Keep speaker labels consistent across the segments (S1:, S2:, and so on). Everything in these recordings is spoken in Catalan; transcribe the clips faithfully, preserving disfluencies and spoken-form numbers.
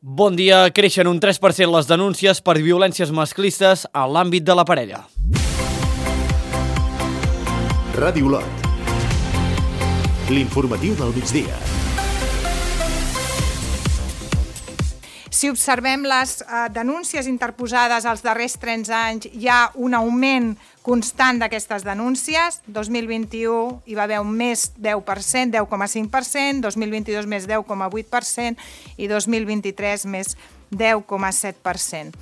S1: Bon dia. Creixen un tres per cent les denúncies per violències masclistes a l'àmbit de la parella.
S2: Ràdio Olot. L'informatiu del migdia.
S3: Si observem les eh, denúncies interposades als darrers trenta anys, hi ha un augment constant d'aquestes denúncies. dos mil vint-i-u hi va haver un més deu per cent, deu coma cinc per cent, dos mil vint-i-dos més deu coma vuit per cent i dos mil vint-i-tres més deu coma set per cent.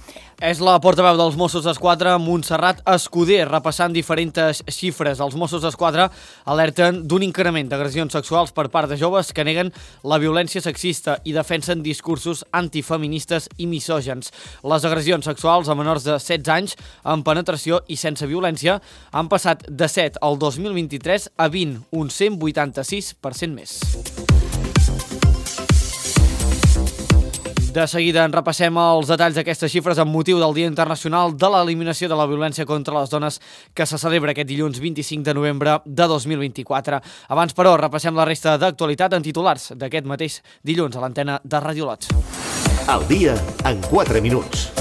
S1: És la portaveu dels Mossos d'Esquadra, Montserrat Escuder, repassant diferents xifres. Els Mossos d'Esquadra alerten d'un increment d'agressions sexuals per part de joves que neguen la violència sexista i defensen discursos antifeministes i misògens. Les agressions sexuals a menors de setze anys amb penetració i sense violència han passat de set al dos mil vint-i-tres a vint, un cent vuitanta-sis per cent més. De seguida en repassem els detalls d'aquestes xifres amb motiu del Dia Internacional de l'Eliminació de la Violència contra les Dones que se celebra aquest dilluns vint-i-cinc de novembre de dos mil vint-i-quatre. Abans, però, repassem la resta d'actualitat en titulars d'aquest mateix dilluns a l'antena de Ràdio Olot.
S2: El dia en quatre minuts.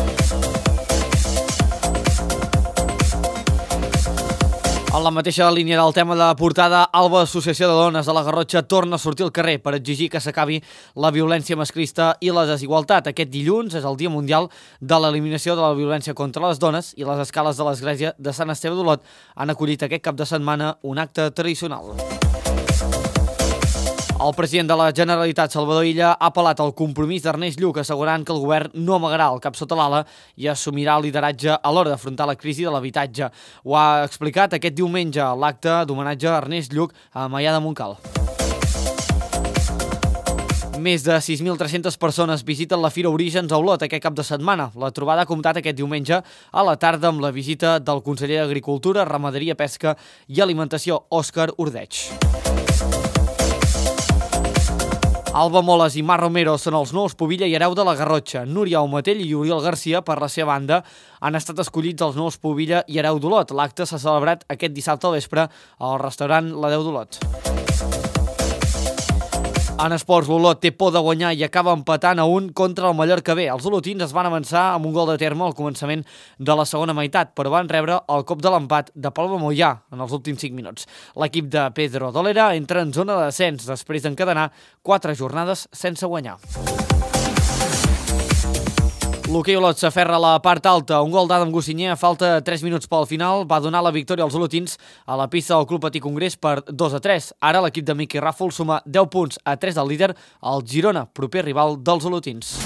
S1: En la mateixa línia del tema de portada, Alba, Associació de Dones de la Garrotxa, torna a sortir al carrer per exigir que s'acabi la violència masclista i la desigualtat. Aquest dilluns és el Dia Mundial de l'Eliminació de la Violència contra les Dones i les escales de l'Església de Sant Esteve d'Olot han acollit aquest cap de setmana un acte tradicional. El president de la Generalitat, Salvador Illa, ha apel·lat al compromís d'Ernest Lluch, assegurant que el govern no amagarà el cap sota l'ala i assumirà el lideratge a l'hora d'afrontar la crisi de l'habitatge. Ho ha explicat aquest diumenge a l'acte d'homenatge a Ernest Lluch a Maià de Montcal. Més de sis mil tres-centes persones visiten la Fira Orígens a Olot aquest cap de setmana. La trobada ha comptat aquest diumenge a la tarda amb la visita del conseller d'Agricultura, Ramaderia, Pesca i Alimentació, Òscar Ordeig. Alba Moles i Mar Romero són els nous Pubilla i Hereu de la Garrotxa. Núria Aumatell i Oriol Garcia, per la seva banda, han estat escollits els nous Pubilla i Hereu d'Olot. L'acte s'ha celebrat aquest dissabte al vespre al restaurant La Deu d'Olot. En esports, l'Olot té por de guanyar i acaba empatant a un contra el Mallorca B. Els olotins es van avançar amb un gol de terme al començament de la segona meitat, però van rebre el cop de l'empat de Palma Mollà en els últims cinc minuts. L'equip de Pedro Dolera entra en zona de descens després d'encadenar quatre jornades sense guanyar. L'hoquei Olot s'aferra a la part alta. Un gol d'Adam Gossinyer a falta de tres minuts pel final va donar la victòria als olotins a la pista del Club Patí Congrés per dos a tres. Ara l'equip de Miqui Ràfol suma deu punts a tres del líder, el Girona, proper rival dels olotins.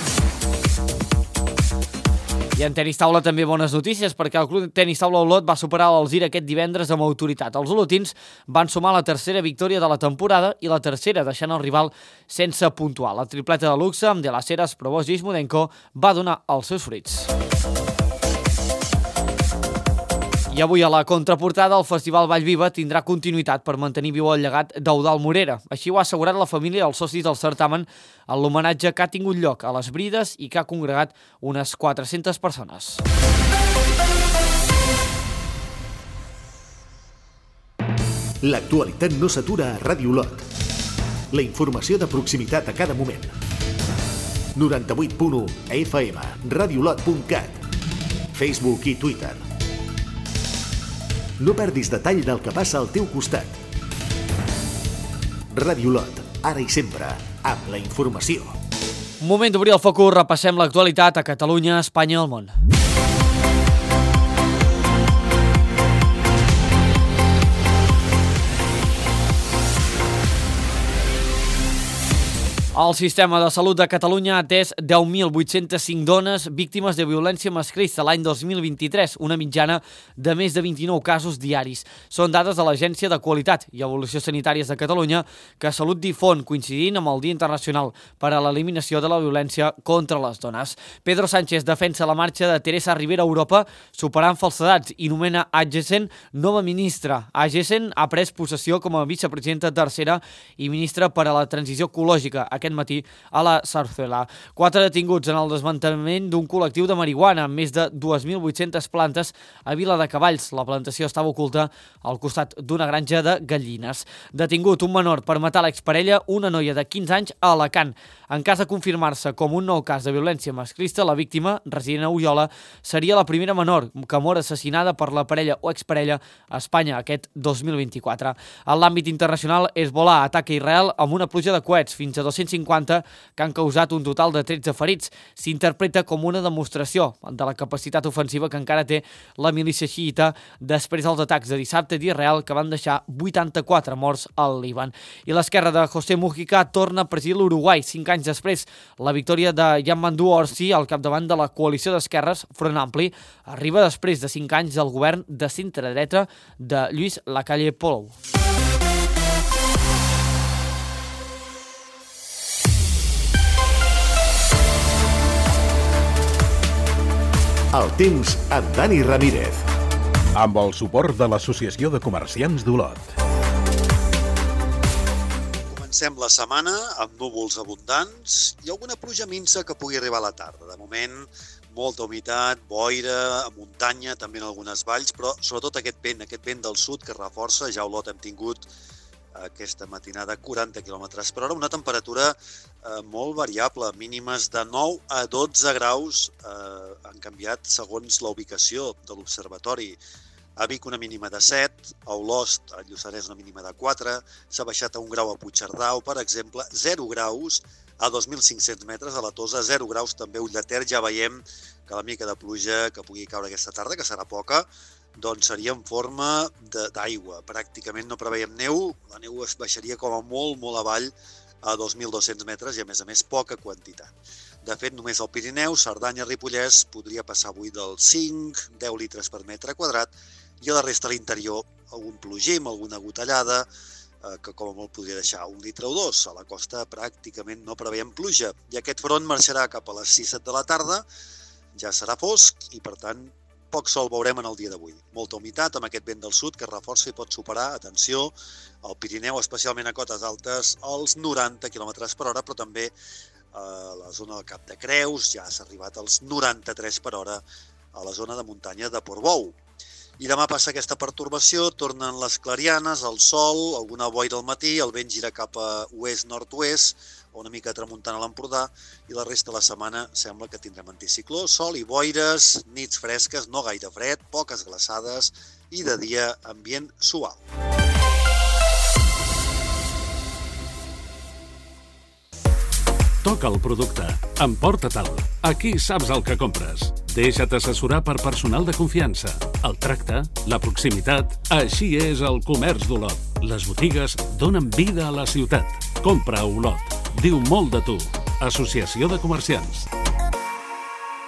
S1: I en tenis taula també bones notícies perquè el Club Tenis Taula Olot va superar l'Alzir aquest divendres amb autoritat. Els olotins van sumar la tercera victòria de la temporada i la tercera deixant el rival sense puntuar. La tripleta de luxe amb De Las Heras, Provost i Ismudenko va donar els seus fruits. I avui a la contraportada el Festival Vallviva tindrà continuïtat per mantenir viu el llegat d'Eudald Morera. Així ho ha assegurat la família i els socis del certamen en l'homenatge que ha tingut lloc a les Brides i que ha congregat unes quatre-centes persones.
S2: L'actualitat no s'atura a Ràdio Olot. La informació de proximitat a cada moment. noranta-vuit punt u F M, radiolot punt cat, Facebook i Twitter. No perdis detall del que passa al teu costat. Ràdio Olot, ara i sempre, amb la informació.
S1: Moment d'obrir el focus, repassem l'actualitat a Catalunya, Espanya i el món. El sistema de salut de Catalunya ha atès deu mil vuit-cents cinc dones víctimes de violència masclista l'any dos mil vint-i-tres, una mitjana de més de vint-i-nou casos diaris. Són dades de l'Agència de Qualitat i Evolució Sanitàries de Catalunya que Salut difon coincidint amb el Dia Internacional per a l'Eliminació de la Violència contra les Dones. Pedro Sánchez defensa la marxa de Teresa Ribera a Europa superant falsedats i nomena Agessen nova ministra. Agessen ha pres possessió com a vicepresidenta tercera i ministra per a la transició ecològica. aquest matí a la Zarzuela. Quatre detinguts en el desmantellament d'un col·lectiu de marihuana amb més de dues mil vuit-centes plantes a Vila de Cavalls. La plantació estava oculta al costat d'una granja de gallines. Detingut un menor per matar l'exparella, una noia de quinze anys a Alacant. En cas de confirmar-se com un nou cas de violència masclista, la víctima, resident a Oliola, seria la primera menor que mor assassinada per la parella o exparella a Espanya aquest dos mil vint-i-quatre. En l'àmbit internacional, Hezbollah ataca Israel amb una pluja de coets, fins a dos-cents cinquanta, que han causat un total de tretze ferits. S'interpreta com una demostració de la capacitat ofensiva que encara té la milícia xiïta després dels atacs de dissabte d'Israel que van deixar vuitanta-quatre morts al Líban. I l'esquerra de José Mujica torna a presidir l'Uruguai, cinc anys després. La victòria de Yamandu Orsi al capdavant de la coalició d'esquerres Front Ampli arriba després de cinc anys del govern de centre-dreta de Lluís Lacalle Pou.
S2: El temps amb Dani Ramírez.
S4: Amb el suport de l'Associació de Comerciants d'Olot.
S5: Comencem la setmana amb núvols abundants i alguna pluja minsa que pugui arribar a la tarda. De moment, molta humitat, boira, a muntanya, també en algunes valls, però sobretot aquest vent, aquest vent del sud que reforça. Ja a Olot hem tingut aquesta matinada quaranta quilòmetres per hora, una temperatura eh, molt variable, mínimes de nou a dotze graus, eh, han canviat segons la ubicació de l'observatori. A Vic una mínima de set, a Olost, a Lluçanès una mínima de quatre, s'ha baixat a un grau a Puigcerdà o, per exemple, zero graus a dos mil cinc-cents metres a la Tosa, zero graus també a Ull de Ter. Ja veiem que la mica de pluja que pugui caure aquesta tarda, que serà poca, doncs seria en forma d'aigua. Pràcticament no preveiem neu, la neu es baixaria com a molt, molt avall a dos mil dos-cents metres i, a més a més, poca quantitat. De fet, només al Pirineu, Cerdanya, Ripollès, podria passar avui dels cinc a deu litres per metre quadrat, i a la resta de l'interior algun plogim, alguna gotellada, eh, que com a molt podria deixar un litre o dos. A la costa pràcticament no preveiem pluja. I aquest front marxarà cap a les sis-set de la tarda, ja serà fosc i, per tant, poc sol veurem en el dia d'avui. Molta humitat amb aquest vent del sud que reforça i pot superar, atenció, al Pirineu, especialment a cotes altes, als noranta quilòmetres per hora, però també a la zona del Cap de Creus, ja s'ha arribat als noranta-tres per hora a la zona de muntanya de Portbou. I demà passa aquesta pertorbació, tornen les clarianes, el sol, alguna boira al matí, el vent gira cap a oest-nord-oest, o una mica tramuntant a l'Empordà, i la resta de la setmana sembla que tindrem anticicló, sol i boires, nits fresques, no gaire fred, poques glaçades i de dia ambient suau.
S6: Toca el producte, emporta-te'l. Aquí saps el que compres. Deixa't assessorar per personal de confiança. El tracte, la proximitat, així és el comerç d'Olot. Les botigues donen vida a la ciutat. Compra a Olot. Diu molt de tu. Associació de Comerciants.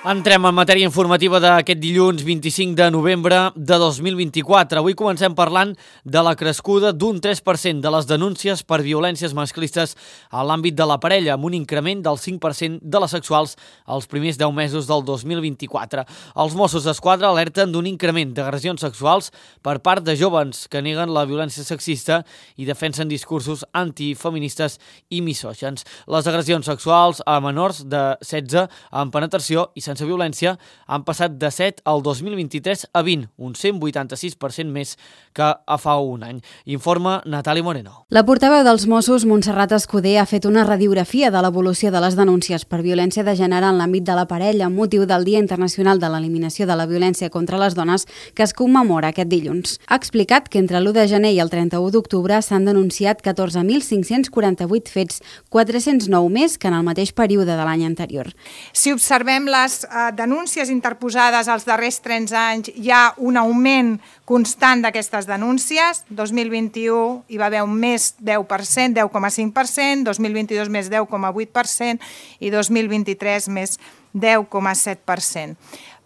S1: Entrem en matèria informativa d'aquest dilluns vint-i-cinc de novembre de dos mil vint-i-quatre. Avui comencem parlant de la crescuda d'un tres per cent de les denúncies per violències masclistes a l'àmbit de la parella, amb un increment del cinc per cent de les sexuals als primers deu mesos del dos mil vint-i-quatre. Els Mossos d'Esquadra alerten d'un increment d'agressions sexuals per part de jóvens que neguen la violència sexista i defensen discursos antifeministes i misògens. Les agressions sexuals a menors de setze amb penetració i sense sense violència han passat de set al dos mil vint-i-tres a vint, un cent vuitanta-sis per cent més que a fa un any. Informa Natàlia Moreno.
S7: La portaveu dels Mossos, Montserrat Escudé, ha fet una radiografia de l'evolució de les denúncies per violència de gènere en l'àmbit de la parella amb motiu del Dia Internacional de l'Eliminació de la Violència contra les Dones que es commemora aquest dilluns. Ha explicat que entre l'u de gener i el trenta-u d'octubre s'han denunciat catorze mil cinc-cents quaranta-vuit fets, quatre-cents nou més que en el mateix període de l'any anterior.
S3: Si observem les eh, denúncies interposades als darrers trenta anys, hi ha un augment constant d'aquestes denúncies. dos mil vint-i-u hi va haver un més deu per cent, deu coma cinc per cent, dos mil vint-i-dos més deu coma vuit per cent i dos mil vint-i-tres més deu coma set per cent.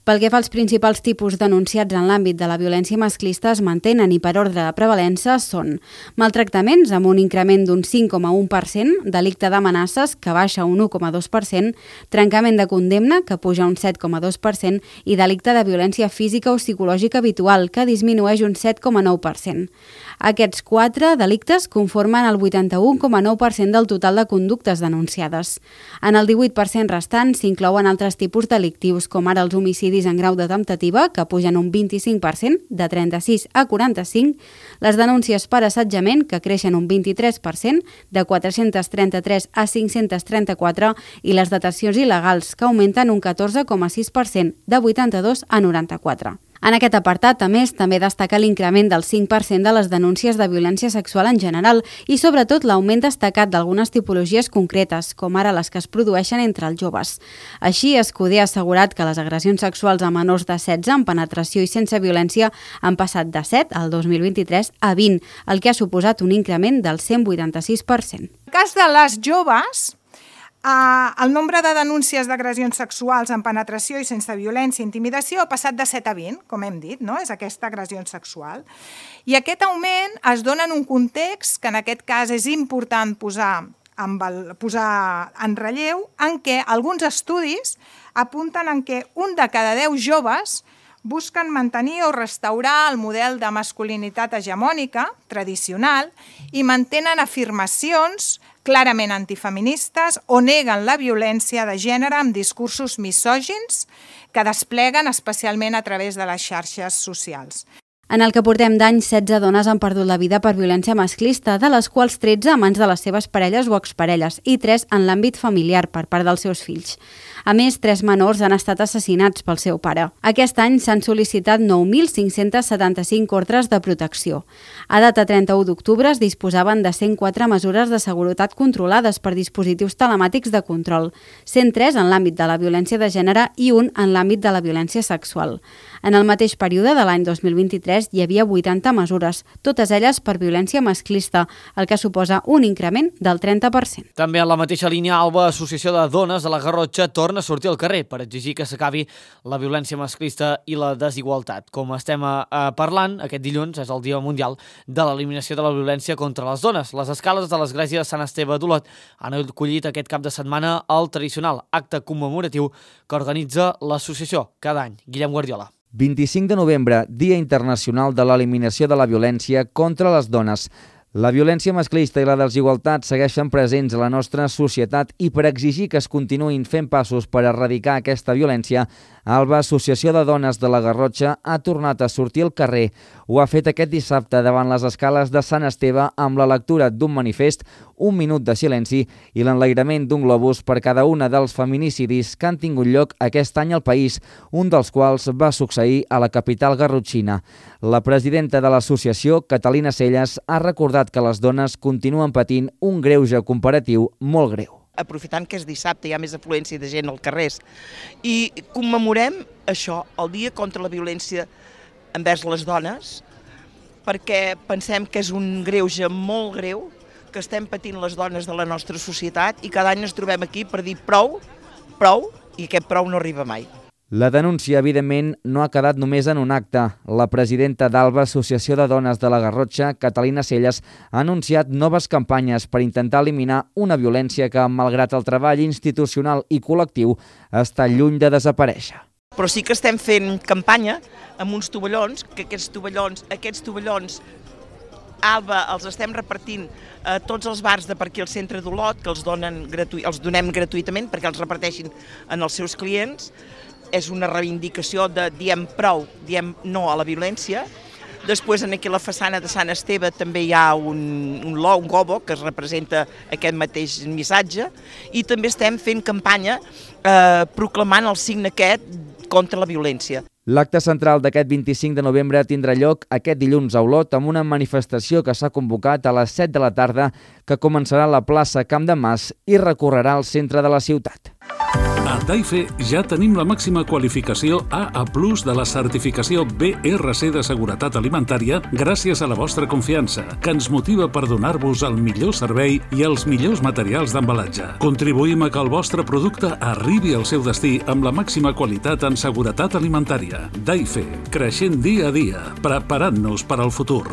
S7: Pel que fa als principals tipus denunciats en l'àmbit de la violència masclista es mantenen i per ordre de prevalença són maltractaments amb un increment d'un cinc coma u per cent, delicte d'amenaces que baixa un u coma dos per cent, trencament de condemna que puja un set coma dos per cent i delicte de violència física o psicològica habitual que disminueix un set coma nou per cent. Aquests quatre delictes conformen el vuitanta-u coma nou per cent del total de conductes denunciades. En el divuit per cent restant s'inclouen altres tipus delictius, com ara els homicidis en grau de temptativa, que pugen un vint-i-cinc per cent, de trenta-sis a quaranta-cinc, les denúncies per assetjament, que creixen un vint-i-tres per cent, de quatre-cents trenta-tres a cinc-cents trenta-quatre, i les detencions il·legals, que augmenten un catorze coma sis per cent, de vuitanta-dos a noranta-quatre. En aquest apartat, a més, també destaca l'increment del cinc per cent de les denúncies de violència sexual en general i, sobretot, l'augment destacat d'algunes tipologies concretes, com ara les que es produeixen entre els joves. Així, Escuder ha assegurat que les agressions sexuals a menors de setze amb penetració i sense violència han passat de set al dos mil vint-i-tres a vint, el que ha suposat un increment del cent vuitanta-sis per cent.
S3: En el cas de les joves, Uh, el nombre de denúncies d'agressions sexuals amb penetració i sense violència i intimidació ha passat de set a vint, com hem dit, no? És aquesta agressió sexual. I aquest augment es dona en un context que en aquest cas és important posar, amb el, posar en relleu, en què alguns estudis apunten en què un de cada deu joves busquen mantenir o restaurar el model de masculinitat hegemònica, tradicional, i mantenen afirmacions clarament antifeministes o neguen la violència de gènere amb discursos misògins que despleguen especialment a través de les xarxes socials.
S7: En el que portem d'any, setze dones han perdut la vida per violència masclista, de les quals tretze a mans de les seves parelles o exparelles i tres en l'àmbit familiar per part dels seus fills. A més, tres menors han estat assassinats pel seu pare. Aquest any s'han sol·licitat nou mil cinc-cents setanta-cinc ordres de protecció. A data trenta-u d'octubre es disposaven de cent quatre mesures de seguretat controlades per dispositius telemàtics de control, cent tres en l'àmbit de la violència de gènere i un en l'àmbit de la violència sexual. En el mateix període de l'any dos mil vint-i-tres hi havia vuitanta mesures, totes elles per violència masclista, el que suposa un increment del trenta per cent.
S1: També en la mateixa línia, Alba, Associació de Dones de la Garrotxa torna a sortir al carrer per exigir que s'acabi la violència masclista i la desigualtat. Com estem eh, parlant, aquest dilluns és el Dia Mundial de l'Eliminació de la Violència contra les Dones. Les escales de l'església de Sant Esteve d'Olot han acollit aquest cap de setmana el tradicional acte commemoratiu que organitza l'associació cada any. Guillem Guardiola.
S8: vint-i-cinc de novembre, Dia Internacional de l'Eliminació de la Violència contra les Dones. La violència masclista i la desigualtat segueixen presents a la nostra societat i per exigir que es continuïn fent passos per erradicar aquesta violència, Alba, Associació de Dones de la Garrotxa, ha tornat a sortir al carrer. Ho ha fet aquest dissabte davant les escales de Sant Esteve amb la lectura d'un manifest, un minut de silenci i l'enlairament d'un globus per cada una dels feminicidis que han tingut lloc aquest any al país, un dels quals va succeir a la capital garrotxina. La presidenta de l'associació, Catalina Celles, ha recordat que les dones continuen patint un greuge comparatiu molt greu.
S9: Aprofitant que és dissabte, hi ha més afluència de gent als carrers, i commemorem això, el Dia contra la Violència envers les dones, perquè pensem que és un greuge molt greu que estem patint les dones de la nostra societat i cada any ens trobem aquí per dir prou, prou, i aquest prou no arriba mai.
S8: La denúncia, evidentment, no ha quedat només en un acte. La presidenta d'Alba, Associació de Dones de la Garrotxa, Catalina Celles, ha anunciat noves campanyes per intentar eliminar una violència que, malgrat el treball institucional i col·lectiu, està lluny de desaparèixer.
S9: Però sí que estem fent campanya amb uns tovallons, que aquests tovallons, aquests tovallons Alba els estem repartint a tots els bars de per aquí al centre d'Olot, que els, donen gratu... els donem gratuïtament perquè els reparteixin en els seus clients. És una reivindicació de diem prou, diem no a la violència. Després, aquí a la façana de Sant Esteve també hi ha un, un lo, un gobo, que es representa aquest mateix missatge, i també estem fent campanya eh, proclamant el signe aquest contra la violència.
S8: L'acte central d'aquest vint-i-cinc de novembre tindrà lloc aquest dilluns a Olot amb una manifestació que s'ha convocat a les set de la tarda que començarà a la plaça Camp de Mas i recorrerà el centre de la ciutat.
S6: A A Daife ja tenim la màxima qualificació A A plus de la certificació B R C de seguretat alimentària gràcies a la vostra confiança, que ens motiva per donar-vos el millor servei i els millors materials d'embalatge. Contribuïm a que el vostre producte arribi al seu destí amb la màxima qualitat en seguretat alimentària. Daife, creixent dia a dia, preparant-nos per al futur.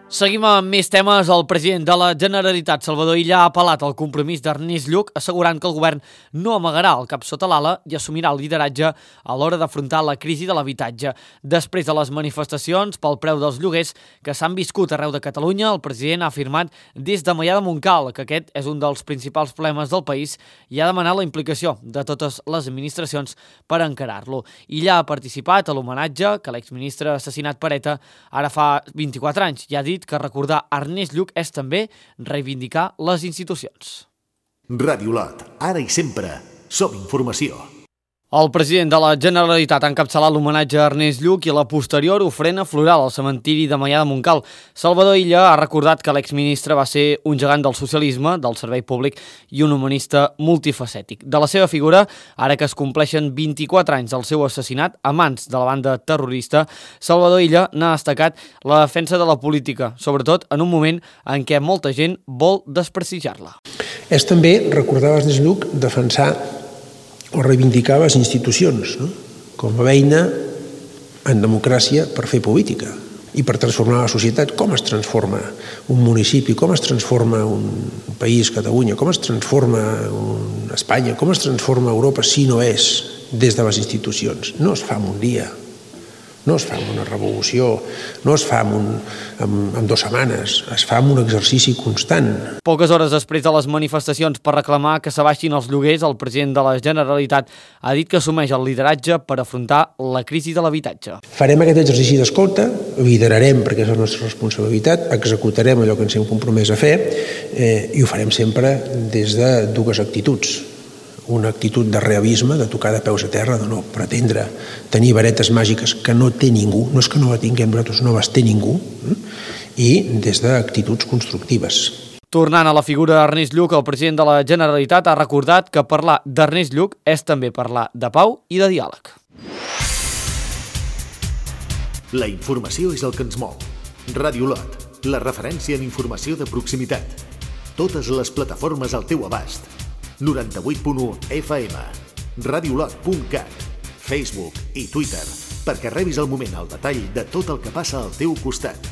S1: Seguim amb més temes. El president de la Generalitat, Salvador Illa, ha apel·lat al compromís d'Ernest Lluch, assegurant que el govern no amagarà el cap sota l'ala i assumirà el lideratge a l'hora d'afrontar la crisi de l'habitatge. Després de les manifestacions pel preu dels lloguers que s'han viscut arreu de Catalunya, el president ha afirmat des de Maià de Montcal que aquest és un dels principals problemes del país i ha demanat la implicació de totes les administracions per encarar-lo. Illa ha participat a l'homenatge que l'exministre assassinat per ETA ara fa vint-i-quatre anys i ha dit que recordar Ernest Lluch és també reivindicar les institucions.
S2: Ràdio Lot, ara i sempre, som informació.
S1: El president de la Generalitat ha encapçalat l'homenatge a Ernest Lluch i la posterior ofrena floral al cementiri de Maià de Montcal. Salvador Illa ha recordat que l'exministre va ser un gegant del socialisme, del servei públic i un humanista multifacètic. De la seva figura, ara que es compleixen vint-i-quatre anys del seu assassinat a mans de la banda terrorista, Salvador Illa n'ha destacat la defensa de la política, sobretot en un moment en què molta gent vol desprestigiar-la.
S10: És també recordar a Ernest Lluch defensar o reivindicar les institucions, no? Com a eina en democràcia per fer política i per transformar la societat. Com es transforma un municipi, com es transforma un país, Catalunya, com es transforma un Espanya, com es transforma Europa si no és des de les institucions. No es fa en un dia, no es fa en una revolució, no es fa en, un, en, en dues setmanes, es fa en un exercici constant.
S1: Poques hores després de les manifestacions per reclamar que s'abaixin els lloguers, el president de la Generalitat ha dit que assumeix el lideratge per afrontar la crisi de l'habitatge.
S10: Farem aquest exercici d'escolta, liderarem perquè és la nostra responsabilitat, executarem allò que ens hem compromès a fer eh, i ho farem sempre des de dues actituds. Una actitud de realisme, de tocar de peus a terra, de no pretendre tenir varetes màgiques que no té ningú, no és que no la tinguem nosaltres, no les té ningú, i des d'actituds constructives.
S1: Tornant a la figura d'Ernest Lluch, el president de la Generalitat ha recordat que parlar d'Ernest Lluch és també parlar de pau i de diàleg.
S2: La informació és el que ens mou. Ràdio Lot, la referència en informació de proximitat. Totes les plataformes al teu abast. noranta-vuit punt u F M, radiolot punt cat, Facebook i Twitter, perquè rebis al moment el detall de tot el que passa al teu costat.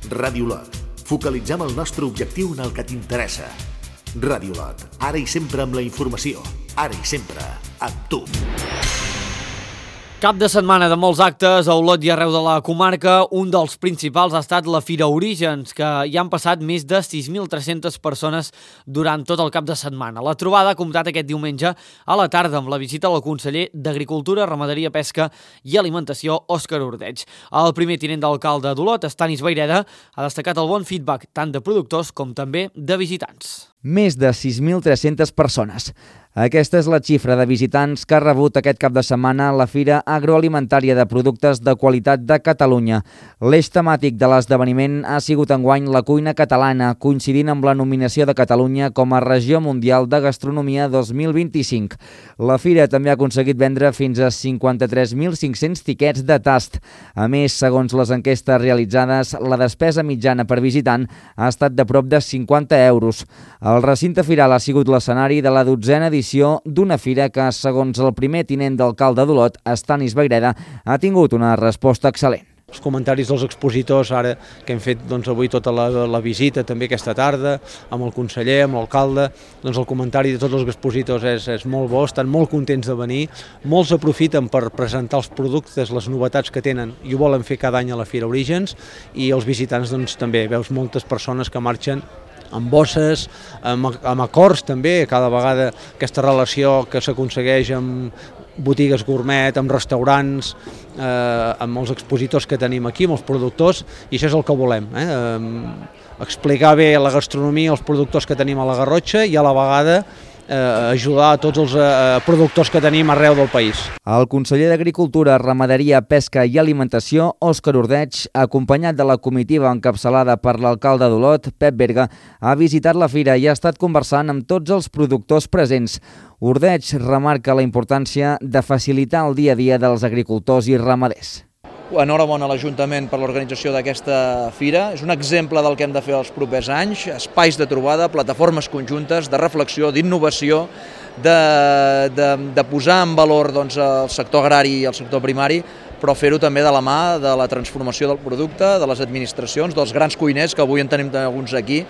S2: Ràdio Lot, focalitzem el nostre objectiu en el que t'interessa. Ràdio Lot, ara i sempre amb la informació, ara i sempre amb tu.
S1: Cap de setmana de molts actes a Olot i arreu de la comarca. Un dels principals ha estat la Fira Orígens, que hi han passat més de sis mil tres-centes persones durant tot el cap de setmana. La trobada ha comptat aquest diumenge a la tarda amb la visita al conseller d'Agricultura, Ramaderia, Pesca i Alimentació, Òscar Ordeig. El primer tinent d'alcalde d'Olot, Stanis Vayreda, ha destacat el bon feedback tant de productors com també de visitants.
S8: Més de sis mil tres-centes persones. Aquesta és la xifra de visitants que ha rebut aquest cap de setmana la Fira Agroalimentària de Productes de Qualitat de Catalunya. L'eix temàtic de l'esdeveniment ha sigut enguany la cuina catalana, coincidint amb la nominació de Catalunya com a Regió Mundial de Gastronomia dos mil vint-i-cinc. La Fira també ha aconseguit vendre fins a cinquanta-tres mil cinc-cents tiquets de tast. A més, segons les enquestes realitzades, la despesa mitjana per visitant ha estat de prop de cinquanta euros. El recinte firal ha sigut l'escenari de la dotzena edició d'una fira que, segons el primer tinent d'alcalde d'Olot, Stanis Vayreda, ha tingut una resposta excel·lent.
S11: Els comentaris dels expositors, ara que hem fet doncs, avui tota la, la visita, també aquesta tarda, amb el conseller, amb l'alcalde, doncs el comentari de tots els expositors és, és molt bo, estan molt contents de venir, molts aprofiten per presentar els productes, les novetats que tenen, i ho volen fer cada any a la Fira Orígens, i els visitants doncs, també veus moltes persones que marxen amb bosses, amb, amb acords també, cada vegada aquesta relació que s'aconsegueix amb botigues gourmet, amb restaurants, eh, amb els expositors que tenim aquí, amb els productors, i això és el que volem, eh? Eh, explicar bé la gastronomia, els productors que tenim a la Garrotxa i a la vegada eh, ajudar a tots els eh, productors que tenim arreu del país.
S8: El conseller d'Agricultura, Ramaderia, Pesca i Alimentació, Òscar Ordeig, acompanyat de la comitiva encapçalada per l'alcalde d'Olot, Pep Berga, ha visitat la fira i ha estat conversant amb tots els productors presents. Ordeig remarca la importància de facilitar el dia a dia dels agricultors i ramaders.
S12: Enhorabona a l'Ajuntament per l'organització d'aquesta fira. És un exemple del que hem de fer els propers anys, espais de trobada, plataformes conjuntes, de reflexió, d'innovació, de, de, de posar en valor doncs, el sector agrari i el sector primari, però fer-ho també de la mà de la transformació del producte, de les administracions, dels grans cuiners, que avui en tenim alguns aquí,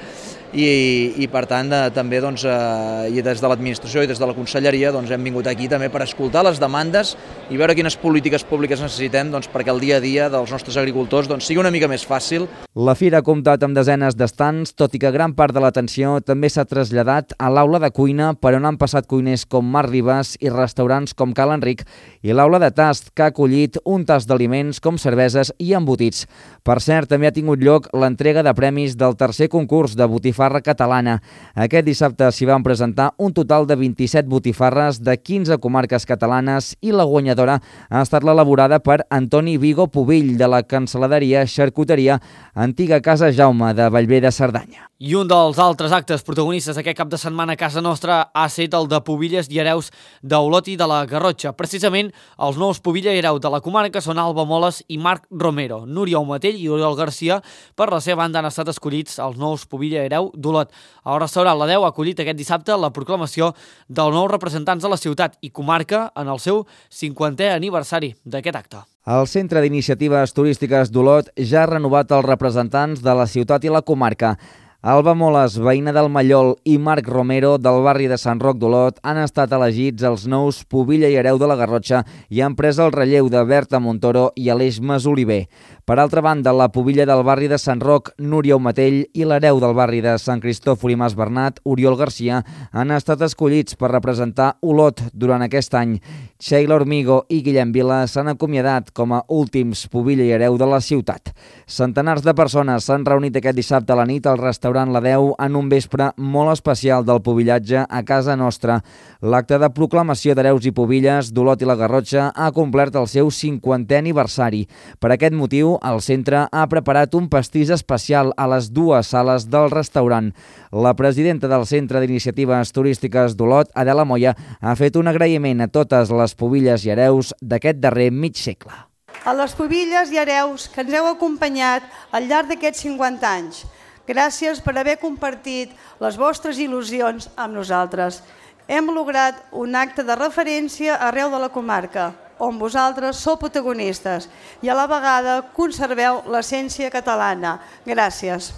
S12: i, i per tant eh, també doncs, eh, i des de l'administració i des de la conselleria doncs, hem vingut aquí també per escoltar les demandes i veure quines polítiques públiques necessitem doncs, perquè el dia a dia dels nostres agricultors doncs, sigui una mica més fàcil.
S8: La fira ha comptat amb desenes d'estants, tot i que gran part de l'atenció també s'ha traslladat a l'aula de cuina, per on han passat cuiners com Marc Ribas i restaurants com Cal Enric, i l'aula de tast, que ha acollit un tast d'aliments com cerveses i embotits. Per cert, també ha tingut lloc l'entrega de premis del tercer concurs de botifarra catalana. Aquest dissabte s'hi van presentar un total de vint-i-set botifarres de quinze comarques catalanes i la guanyadora ha estat l'elaborada per Antoni Vigo Pubill, de la cancel·laderia Xarcuteria Antiga Casa Jaume de Bellver de Cerdanya.
S1: I un dels altres actes protagonistes aquest cap de setmana a casa nostra ha estat el de Pubilles i Hereus d'Olot i de la Garrotxa. Precisament, els nous Pubilla i Hereu de la comarca són Alba Moles i Marc Romero. Núria Omatell i Oriol Garcia, per la seva banda, han estat escollits els nous Pubilla i Hereu d'Olot. El restaurant La Deu ha acollit aquest dissabte la proclamació dels nous representants de la ciutat i comarca en el seu cinquantè aniversari d'aquest acte.
S8: El Centre d'Iniciatives Turístiques d'Olot ja ha renovat els representants de la ciutat i la comarca. Alba Moles, veïna del Mallol, i Marc Romero, del barri de Sant Roc d'Olot, han estat elegits els nous Pubilla i Hereu de la Garrotxa i han pres el relleu de Berta Montoro i Aleix Masoliver. Per altra banda, la Pubilla del barri de Sant Roc, Núria Omatell, i l'Hereu del barri de Sant Cristòfol i Mas Bernat, Oriol Garcia, han estat escollits per representar Olot durant aquest any. Sheila Hormigo i Guillem Vila s'han acomiadat com a últims Pubilla i Hereu de la ciutat. Centenars de persones s'han reunit aquest dissabte a la nit al restaurant La Deu en un vespre molt especial del pubillatge a casa nostra. L'acte de proclamació d'hereus i pubilles d'Olot i la Garrotxa ha complert el seu cinquantè aniversari. Per aquest motiu, el centre ha preparat un pastís especial a les dues sales del restaurant. La presidenta del Centre d'Iniciatives Turístiques d'Olot, Adela Moya, ha fet un agraïment a totes les pubilles i hereus d'aquest darrer mig segle.
S13: A les pubilles i hereus que ens heu acompanyat al llarg d'aquests cinquanta anys, gràcies per haver compartit les vostres il·lusions amb nosaltres. Hem lograt un acte de referència arreu de la comarca, on vosaltres sou protagonistes i a la vegada conserveu l'essència catalana. Gràcies.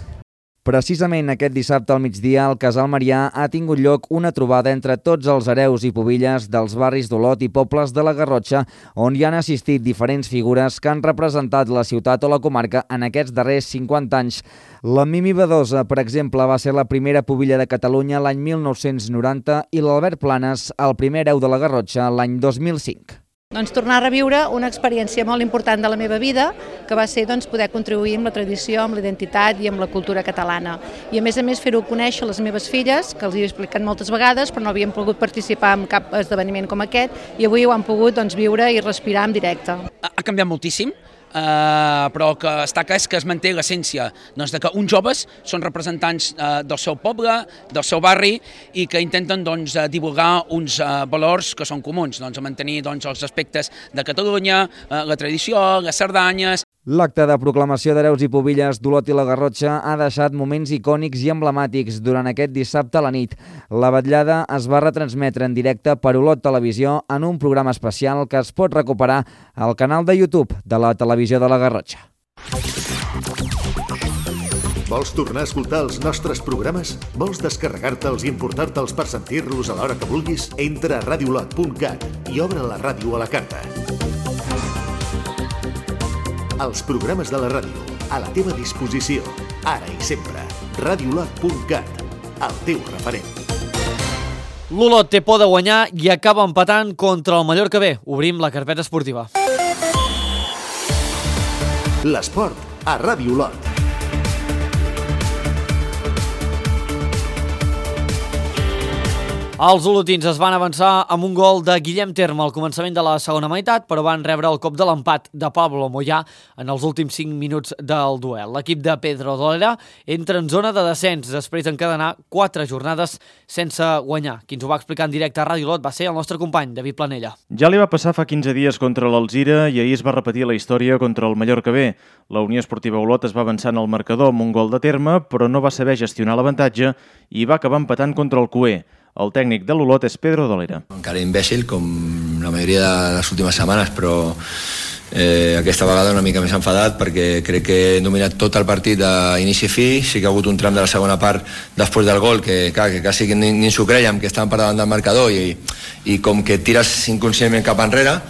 S8: Precisament aquest dissabte al migdia, al Casal Marià ha tingut lloc una trobada entre tots els hereus i pubilles dels barris d'Olot i pobles de la Garrotxa, on hi han assistit diferents figures que han representat la ciutat o la comarca en aquests darrers cinquanta anys. La Mimi Badosa, per exemple, va ser la primera pubilla de Catalunya l'any mil nou-cents noranta i l'Albert Planes, el primer hereu de la Garrotxa, l'any dos mil cinc.
S14: Doncs tornar a reviure una experiència molt important de la meva vida, que va ser doncs, poder contribuir amb la tradició, amb la identitat i amb la cultura catalana. I a més a més fer-ho conèixer a les meves filles, que els hi he explicat moltes vegades, però no havien pogut participar en cap esdeveniment com aquest, i avui ho han pogut doncs, viure i respirar en directe.
S15: Ha canviat moltíssim. Uh, però que està clar és que es manté l'essència doncs, de que uns joves són representants uh, del seu poble, del seu barri i que intenten doncs, divulgar uns uh, valors que són comuns, doncs, mantenir doncs, els aspectes de Catalunya, uh, la tradició, les Cerdanyes.
S8: L'acte de proclamació d'hereus i pubilles d'Olot i la Garrotxa ha deixat moments icònics i emblemàtics durant aquest dissabte a la nit. La vetllada es va retransmetre en directe per Olot Televisió en un programa especial que es pot recuperar al canal de YouTube de la Televisió de la Garrotxa.
S2: Vols tornar a escoltar els nostres programes? Vols descarregar-te'ls i importar-te'ls per sentir-los a l'hora que vulguis? Entra a radiolot punt cat i obre la ràdio a la carta. Els programes de la ràdio, a la teva disposició, ara i sempre. radiolot punt cat, el teu referent.
S1: L'Olot té por de guanyar i acaba empatant contra el Mallorca B. Obrim la carpeta esportiva.
S2: L'esport a Ràdio Olot.
S1: Els olotins es van avançar amb un gol de Guillem Terme al començament de la segona meitat, però van rebre el cop de l'empat de Pablo Moyà en els últims cinc minuts del duel. L'equip de Pedro Dolera entra en zona de descens després d'encadenar quatre jornades sense guanyar. Qui ens ho va explicar en directe a Ràdio Olot va ser el nostre company, David Planella.
S16: Ja li va passar fa quinze dies contra l'Alzira i ahir es va repetir la història contra el Mallorca B. La Unió Esportiva Olot es va avançar en el marcador amb un gol de Terme, però no va saber gestionar l'avantatge i va acabar empatant contra el Cué. El tècnic de l'Olot és Pedro Dolera.
S17: Encara imbècil, com la majoria de les últimes setmanes, però eh, aquesta vegada una mica més enfadat perquè crec que he dominat tot el partit d'inici a fi. Sí que ha hagut un tram de la segona part després del gol que, clar, que quasi ni, ni ens ho creiem, que estàvem per davant del marcador i, i com que tires inconscientment cap enrere,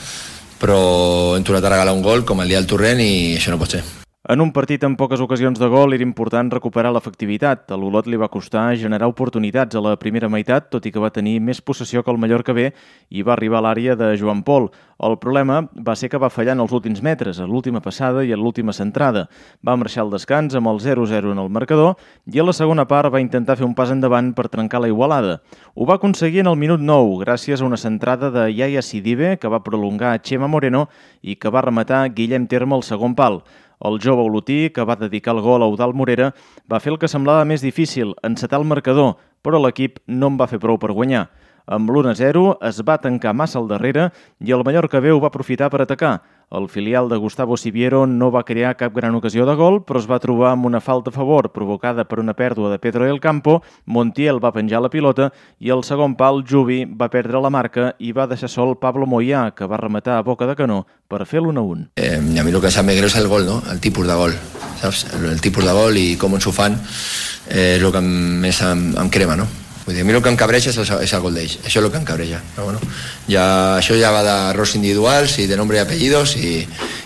S17: però hem tornat a regalar un gol com el dia del Torrent i això no pot ser.
S16: En un partit amb poques ocasions de gol era important recuperar l'efectivitat. A l'Olot li va costar generar oportunitats a la primera meitat, tot i que va tenir més possessió que el Mallorca B i va arribar a l'àrea de Joan Pol. El problema va ser que va fallar en els últims metres, a l'última passada i a l'última centrada. Va marxar al descans amb el zero zero en el marcador i a la segona part va intentar fer un pas endavant per trencar la igualada. Ho va aconseguir en el minut nou, gràcies a una centrada de Yaya Sidibe, que va prolongar a Chema Moreno i que va rematar Guillem Terme al segon pal. El jove olotí, que va dedicar el gol a Eudald Morera, va fer el que semblava més difícil, encetar el marcador, però l'equip no en va fer prou per guanyar. Amb l'u a zero es va tancar massa al darrere i el Mallorca B ho va aprofitar per atacar. El filial de Gustavo Siviero no va crear cap gran ocasió de gol, però es va trobar amb una falta a favor provocada per una pèrdua de Pedro del Campo. Montiel va penjar la pilota i al segon pal Jubi va perdre la marca i va deixar sol Pablo Moyà, que va rematar a boca de canó per fer l'u a un.
S17: Eh, a mi el que em sap més greu és el gol, no? El tipus de gol, saps? El, el tipus de gol i com ens ho fan eh, és el que més em, em crema, no? Vull dir, a mi el que em cabreja és el, és el gol d'ells, això és el que em cabreja. Però bueno, ja, això ja va d'errors individuals i de nombre i apellidos i,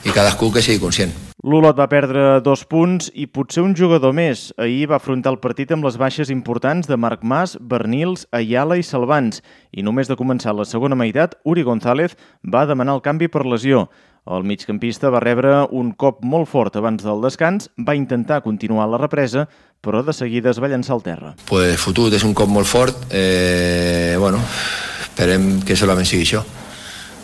S17: i cadascú que sigui conscient.
S16: L'Olot va perdre dos punts i potser un jugador més. Ahir va afrontar el partit amb les baixes importants de Marc Mas, Bernils, Ayala i Salvans. I només de començar la segona meitat, Uri González va demanar el canvi per lesió. El migcampista va rebre un cop molt fort abans del descans, va intentar continuar la represa, però de seguida es va llançar al terra.
S17: Pues fotut, és un cop molt fort. Eh, bueno, esperem que solament sigui això,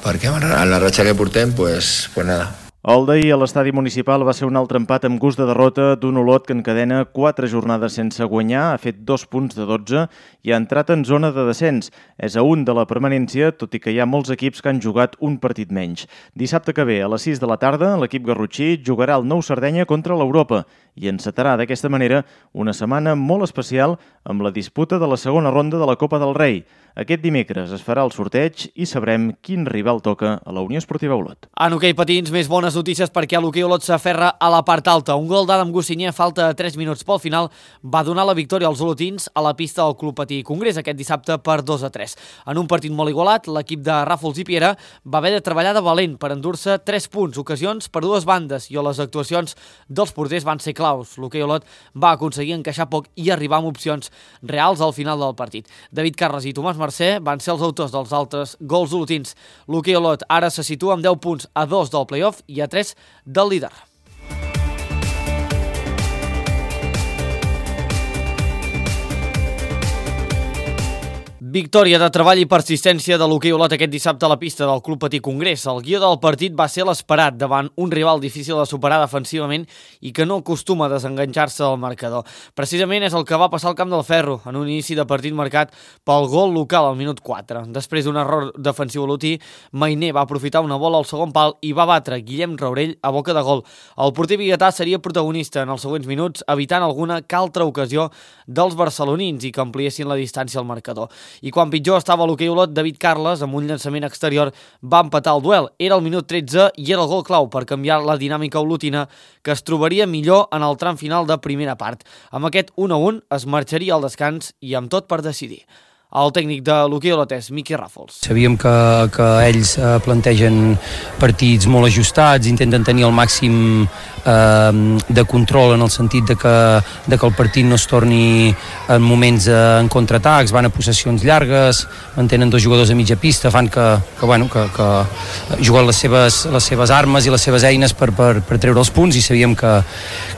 S17: perquè en la ratxa que portem, pues, pues nada.
S16: El d'ahir a l'estadi municipal va ser un altre empat amb gust de derrota d'un Olot que encadena quatre jornades sense guanyar, ha fet dos punts de dotze i ha entrat en zona de descens. És a un de la permanència, tot i que hi ha molts equips que han jugat un partit menys. Dissabte que ve, a les sis de la tarda, l'equip garrotxí jugarà el Nou Sardenya contra l'Europa i encetarà d'aquesta manera una setmana molt especial amb la disputa de la segona ronda de la Copa del Rei. Aquest dimecres es farà el sorteig i sabrem quin rival toca a la Unió Esportiva Olot.
S1: En hoquei patins, més bones notícies perquè l'hoquei Olot s'aferra a la part alta. Un gol d'Adam Gossinyer a falta de tres minuts pel final va donar la victòria als olotins a la pista del Club Patí Congrés aquest dissabte per dos a tres. En un partit molt igualat, l'equip de Ràfols i Piera va haver de treballar de valent per endur-se tres punts, ocasions per dues bandes, i les actuacions dels porters van ser claus. L'hoquei Olot va aconseguir encaixar poc i arribar amb opcions reals al final del partit. David Carles i Tomàs Mercè van ser els autors dels altres gols olotins. L'hoquei Olot ara se situa amb deu punts a dos del play-off i a tres del líder. Victòria de treball i persistència de l'hoquei Olot aquest dissabte a la pista del Club Patí Congrés. El guió del partit va ser l'esperat davant un rival difícil de superar defensivament i que no acostuma a desenganxar-se del marcador. Precisament és el que va passar al Camp del Ferro, en un inici de partit marcat pel gol local al minut quatre. Després d'un error defensiu olotí, Mainer va aprofitar una bola al segon pal i va batre Guillem Raurell a boca de gol. El porter biguetà seria protagonista en els següents minuts, evitant alguna que altra ocasió dels barcelonins i que ampliessin la distància al marcador. I quan pitjor estava l'hoquei Olot, David Carles, amb un llançament exterior, va empatar el duel. Era el minut tretze i era el gol clau per canviar la dinàmica olotina, que es trobaria millor en el tram final de primera part. Amb aquest u a un es marxaria al descans i amb tot per decidir. El tècnic de l'hoquei Olot és Miqui Ràfols.
S18: Sabíem que, que ells eh, plantegen partits molt ajustats, intenten tenir el màxim eh, de control en el sentit de que, de que el partit no es torni en moments eh, en contraatacs, van a possessions llargues, mantenen dos jugadors a mitja pista, fan que, que, bueno, que, que juguen les seves, les seves armes i les seves eines per, per, per treure els punts, i sabíem que,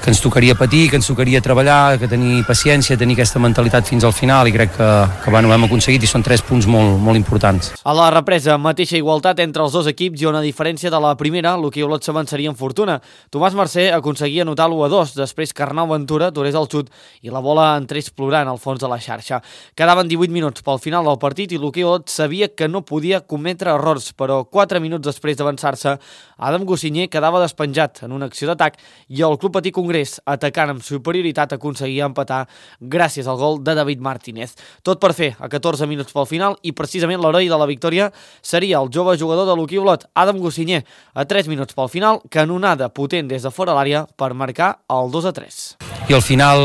S18: que ens tocaria patir, que ens tocaria treballar, que tenir paciència, tenir aquesta mentalitat fins al final, i crec que, que bueno, vam hem aconseguit i són tres punts molt, molt importants.
S1: A la represa, mateixa igualtat entre els dos equips i una diferència de la primera, l'Hoquei Olot s'avançaria en fortuna. Tomàs Mercè aconseguia anotar l'u a dos, després que Arnau Ventura aturés el xut i la bola entrés plorant al fons de la xarxa. Quedaven divuit minuts pel final del partit i l'Hoquei Olot sabia que no podia cometre errors, però quatre minuts després d'avançar-se, Adam Gossinyer quedava despenjat en una acció d'atac i el Club Patí Congrés, atacant amb superioritat, aconseguia empatar gràcies al gol de David Martínez. Tot per fer a catorze minuts pel final i precisament l'heroi de la victòria seria el jove jugador de l'Hoquei Olot, Adam Gossinyer, a tres minuts pel final, canonada potent des de fora l'àrea per marcar el dos a tres.
S18: I al final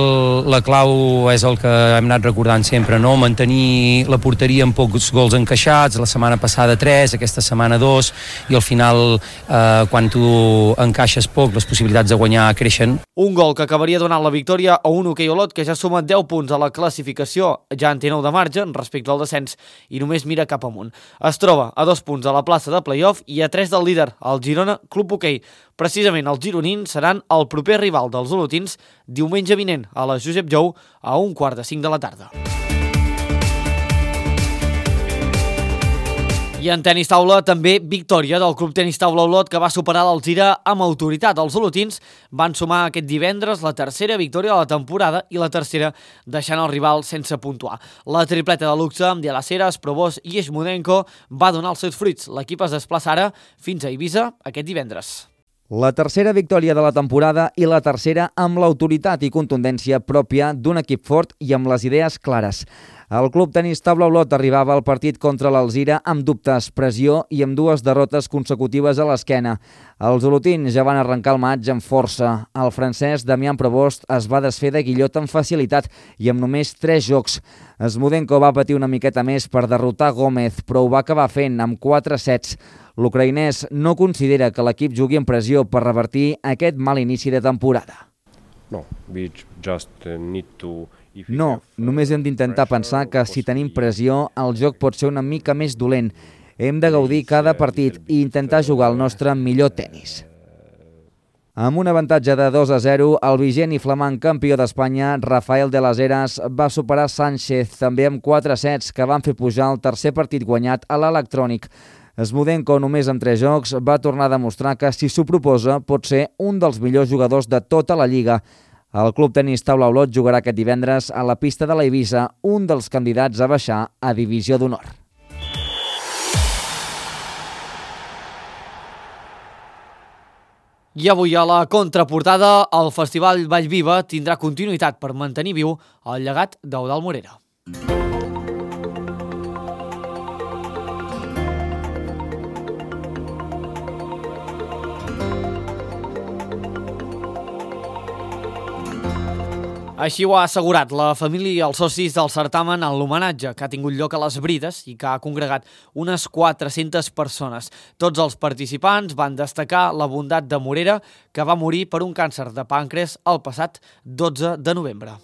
S18: la clau és el que hem anat recordant sempre, no? Mantenir la porteria amb pocs gols encaixats, la setmana passada tres, aquesta setmana dos, i al final eh, quan tu encaixes poc les possibilitats de guanyar creixen.
S1: Un gol que acabaria donant la victòria a un Hoquei Olot que ja suma deu punts a la classificació, ja en té nou de marge respecte al descens i només mira cap amunt. Es troba a dos punts a la plaça de play-off i a tres del líder, el Girona Club Hoquei. Precisament els gironins seran el proper rival dels olotins diumenge vinent a la Josep Jou a un quart de cinc de la tarda. I en tenis taula també victòria del Club Tenis Taula Olot, que va superar l'Alzira amb autoritat. Els olotins van sumar aquest divendres la tercera victòria de la temporada i la tercera deixant el rival sense puntuar. La tripleta de luxe amb De Las Heras, Probos i Eshmudenko va donar els seus fruits. L'equip es desplaça ara fins a Eivissa aquest divendres.
S8: La tercera victòria de la temporada i la tercera amb l'autoritat i contundència pròpia d'un equip fort i amb les idees clares. El Club Tenis Taula Olot arribava al partit contra l'Alzira amb dubtes, pressió i amb dues derrotes consecutives a l'esquena. Els olotins ja van arrencar el maig amb força. El francès Damián Provost es va desfer de Guillot amb facilitat i amb només tres jocs. Eshmudenko va patir una miqueta més per derrotar Gómez, però ho va acabar fent amb quatre sets. L'ucraïnès no considera que l'equip jugui en pressió per revertir aquest mal inici de temporada.
S19: No, we just need to...
S8: No, només hem d'intentar pensar que si tenim pressió, el joc pot ser una mica més dolent. Hem de gaudir cada partit i intentar jugar el nostre millor tenis. Amb un avantatge de dos a zero, el vigent i flamant campió d'Espanya, Rafael de las Heras, va superar Sánchez, també amb quatre sets que van fer pujar el tercer partit guanyat a l'electrònic. Eshmudenko, només amb tres jocs, va tornar a demostrar que, si s'ho proposa, pot ser un dels millors jugadors de tota la Lliga. El Club Tenis Taula Olot jugarà aquest divendres a la pista de l'Eivissa, un dels candidats a baixar a Divisió d'Honor.
S1: I avui a la contraportada, el Festival Vallviva tindrà continuïtat per mantenir viu el llegat d'Eudald Morera. Així ho ha assegurat la família i els socis del certamen en l'homenatge que ha tingut lloc a les Brides i que ha congregat unes quatre-centes persones. Tots els participants van destacar la bondat de Morera, que va morir per un càncer de pàncreas el passat dotze de novembre.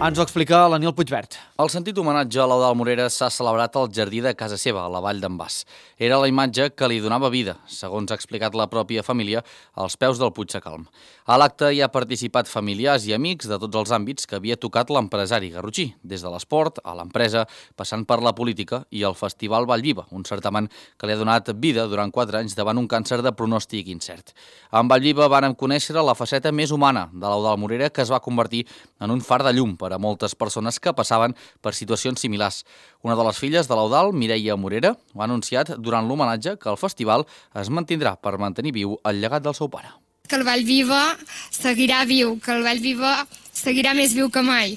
S1: Ens ho explica l'Aniol Puigvert.
S20: El sentit homenatge a l'Eudald Morera s'ha celebrat al jardí de casa seva, a la Vall d'en Bas. Era la imatge que li donava vida, segons ha explicat la pròpia família, als peus del Puig de Calm. A l'acte hi ha participat familiars i amics de tots els àmbits que havia tocat l'empresari garrotxí, des de l'esport a l'empresa, passant per la política i el Festival Vallviva, un certamen que li ha donat vida durant quatre anys davant un càncer de pronòstic incert. En Vallviva vàrem conèixer la faceta més humana de l'Eudald Morera, que es va convertir en un far de llum per a moltes persones que passaven per situacions similars. Una de les filles de l'Eudald, Mireia Morera, ho ha anunciat durant l'homenatge que el festival es mantindrà per mantenir viu el llegat del seu pare.
S21: Que el Vallviva seguirà viu, que el Vallviva seguirà més viu que mai,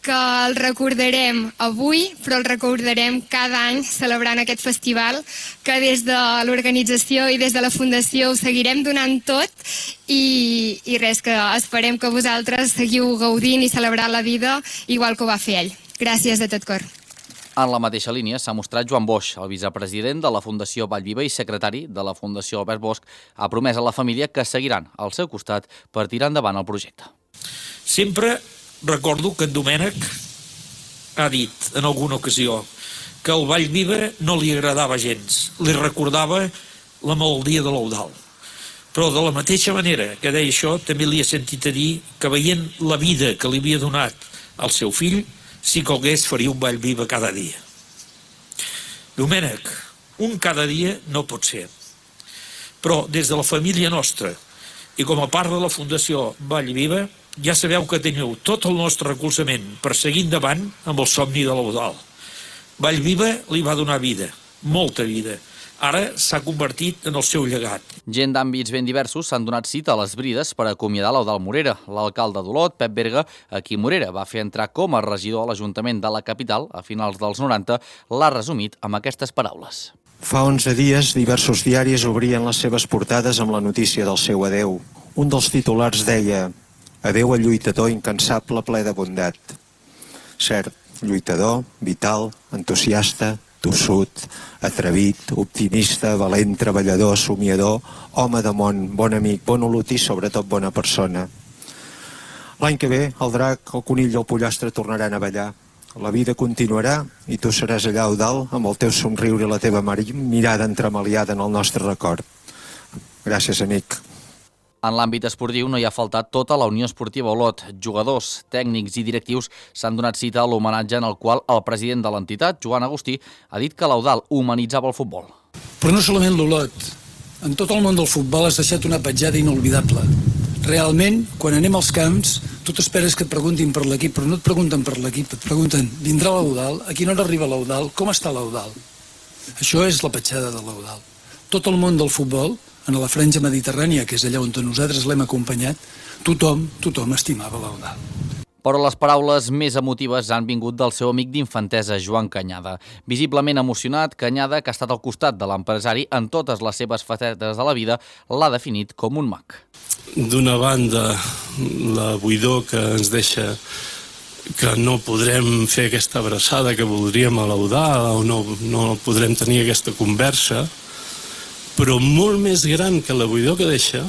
S21: que el recordarem avui, però el recordarem cada any celebrant aquest festival, que des de l'organització i des de la Fundació ho seguirem donant tot i, i res, que esperem que vosaltres seguiu gaudint i celebrant la vida igual que ho va fer ell. Gràcies de tot cor.
S20: En la mateixa línia s'ha mostrat Joan Boix, el vicepresident de la Fundació Vallviva i secretari de la Fundació Albert Bosch, ha promès a la família que seguiran al seu costat per tirar endavant el projecte.
S22: Sempre recordo que en Domènec ha dit en alguna ocasió que el Vallviva no li agradava gens, li recordava la malaltia de l'Eudald. Però de la mateixa manera que deia això, també li he sentit a dir que veient la vida que li havia donat al seu fill, si calgués faria un Vallviva cada dia. Domènec, un cada dia no pot ser. Però des de la família nostra i com a part de la Fundació Vallviva, ja sabeu que teniu tot el nostre recolzament per seguir endavant amb el somni de l'Eudald. Vallviva li va donar vida, molta vida. Ara s'ha convertit en el seu llegat.
S20: Gent d'àmbits ben diversos s'han donat cita a les Brides per acomiadar l'Eudald Morera. L'alcalde d'Olot, Pep Berga, a qui Morera va fer entrar com a regidor a l'Ajuntament de la capital a finals dels noranta, l'ha resumit amb aquestes paraules.
S4: Fa onze dies, diversos diaris obrien les seves portades amb la notícia del seu adeu. Un dels titulars deia: adeu al lluitador incansable ple de bondat. Cert, lluitador, vital, entusiasta, tossut, atrevit, optimista, valent, treballador, somiador, home de món, bon amic, bon olotí i sobretot bona persona. L'any que ve el drac, el conill i el pollastre tornaran a ballar. La vida continuarà i tu seràs allà, Eudald, amb el teu somriure i la teva mirada entremaliada en el nostre record. Gràcies, amic.
S20: En l'àmbit esportiu no hi ha faltat tota la Unió Esportiva Olot. Jugadors, tècnics i directius s'han donat cita a l'homenatge en el qual el president de l'entitat, Joan Agustí, ha dit que l'Eudald humanitzava el futbol.
S5: Però no solament l'Olot. En tot el món del futbol has deixat una petjada inolvidable. Realment, quan anem als camps, tu t'esperes que et preguntin per l'equip, però no et pregunten per l'equip, et pregunten, vindrà l'Eudald? A quina hora arriba l'Eudald? Com està l'Eudald? Això és la petjada de l'Eudald. Tot el món del futbol, en la franja mediterrània, que és allà on nosaltres l'hem acompanyat, tothom, tothom estimava l'Eudald.
S20: Però les paraules més emotives han vingut del seu amic d'infantesa, Joan Canyada. Visiblement emocionat, Canyada, que ha estat al costat de l'empresari en totes les seves facetes de la vida, l'ha definit com un mag.
S23: D'una banda, la buidor que ens deixa que no podrem fer aquesta abraçada que voldríem a l'Eudald o no, no podrem tenir aquesta conversa, però molt més gran que la buidor que deixa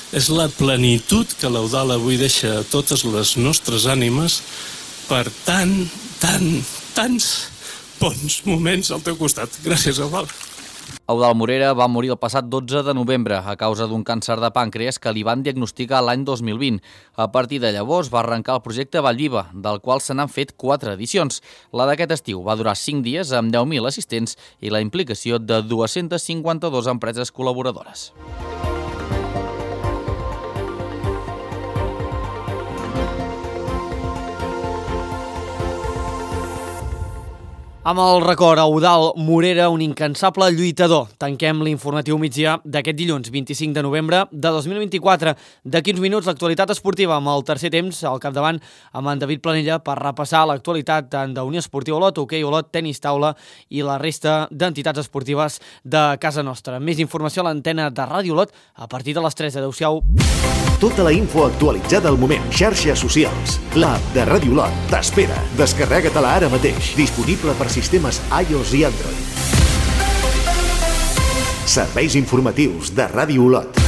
S23: és la plenitud que l'Eudald avui deixa a totes les nostres ànimes per tant, tant, tants bons moments al teu costat. Gràcies, Eudald.
S20: Eudald Morera va morir el passat dotze de novembre a causa d'un càncer de pàncreas que li van diagnosticar l'any dos mil vint. A partir de llavors va arrencar el projecte Vallviva, del qual se n'han fet quatre edicions. La d'aquest estiu va durar cinc dies amb deu mil assistents i la implicació de dues-centes cinquanta-dues empreses col·laboradores. Amb el record a Eudald Morera, un incansable lluitador. Tanquem l'informatiu migdia d'aquest dilluns vint-i-cinc de novembre de dos mil vint-i-quatre. D'aquí uns minuts l'actualitat esportiva amb el tercer temps al capdavant amb en David Planella per repassar l'actualitat tant d'Unió Esportiva Olot, hoquei Olot, tenis taula i la resta d'entitats esportives de casa nostra. Més informació a l'antena de Ràdio Olot a partir de les tres. Adéu-siau.
S2: Tota la info actualitzada al moment. Xarxes socials. L'app de Ràdio Olot t'espera. Descarrega-te-la ara mateix. Disponible per sistemes iOS i Android. Serveis informatius de Ràdio Olot.